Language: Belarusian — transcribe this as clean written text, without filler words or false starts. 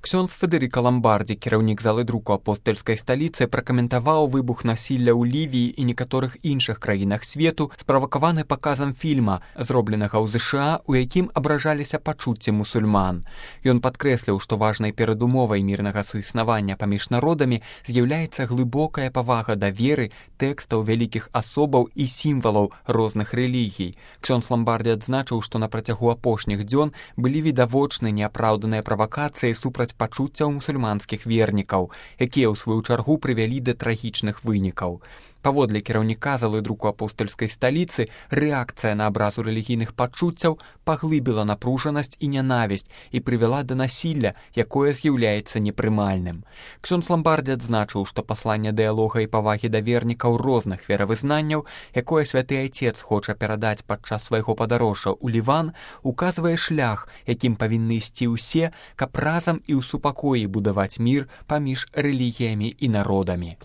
Ксёндз Федэрыка Ламбардзі, кіраўнік залы друку апостальскай сталіцы, пракаментаваў выбух насілля ў Лівіі і некаторых іншых краінах свету, справакаваны паказам фільма, зробленага ў ЗША, у якім абражаліся пачуцці мусульман. Ён падкрэсліў, што важнай перадумовай мірнага суіснавання паміж народамі з'яўляецца глыбокая павага да веры, тэкстаў вялікіх асобаў і сімвалаў розных рэлігій. Ксёндз Ламбардзі адзначыў, што на працягу апошніх дзён былі відавочны неапраўданыя правакацыі супраць пачуццяў мусульманскіх вернікаў, якія ў сваю чаргу прывялі да трагічных вынікаў. Паводле кіраўніка залы друку апостальскай сталіцы, рэакцыя на абразу рэлігійных пачуццяў паглыбіла напружанасць і нянавісць і прывяла да насілля, якое з'яўляецца непрымальным. Ксёндз Ламбардзі адзначыў, што пасланне дыялога і павагі да вернікаў розных веравызнанняў, якое святы айцец хоча перадаць падчас свайго падарожжа ў Ліван, указвае шлях, якім павінны ісці ўсе, каб разам і ў супакоі будаваць мір паміж рэлігіямі і народамі.